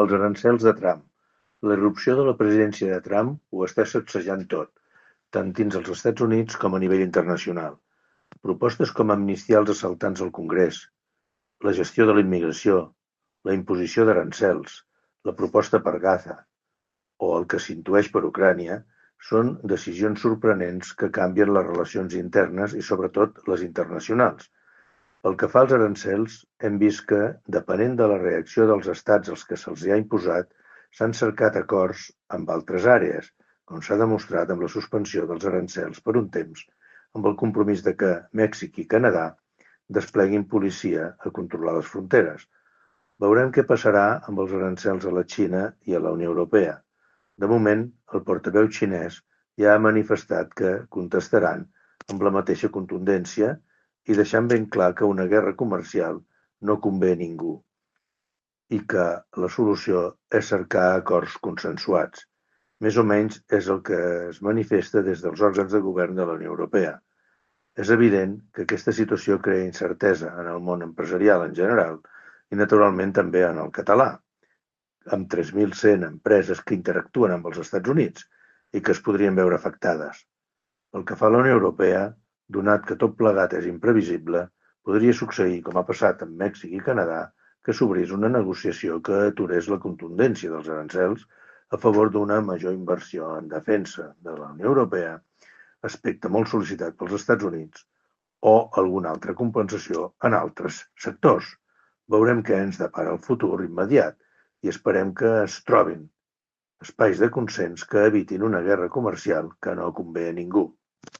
Els arancels de Trump. La irrupció de la presidència de Trump ho està sacsejant tot, tant dins els Estats Units com a nivell internacional. Propostes com amnistiar els assaltants al Congrés, la gestió de la immigració, la imposició d'arancels, la proposta per Gaza o el que s'intueix per Ucrània són decisions sorprenents que canvien les relacions internes i sobretot les internacionals. Pel que fa als arancels, hem vist que, depenent de la reacció dels estats als que se'ls ha imposat, s'han cercat acords amb altres àrees, com s'ha demostrat amb la suspensió dels arancels per un temps, amb el compromís de que Mèxic i Canadà despleguin policia a controlar les fronteres. Veurem què passarà amb els arancels a la Xina i a la Unió Europea. De moment, el portaveu xinès ja ha manifestat que contestaran amb la mateixa contundència i deixant ben clar que una guerra comercial no convé a ningú i que la solució és cercar acords consensuats. Més o menys és el que es manifesta des dels òrgans de govern de la Unió Europea. És evident que aquesta situació crea incertesa en el món empresarial en general i naturalment també en el català, amb 3.100 empreses que interactuen amb els Estats Units i que es podrien veure afectades. Pel que fa a la Unió Europea, donat que tot plegat és imprevisible, podria succeir, com ha passat amb Mèxic i Canadà, que s'obrís una negociació que aturés la contundència dels arancels a favor d'una major inversió en defensa de la Unió Europea, aspecte molt sol·licitat pels Estats Units, o alguna altra compensació en altres sectors. Veurem què ens depara el futur immediat i esperem que es trobin espais de consens que evitin una guerra comercial que no convé a ningú.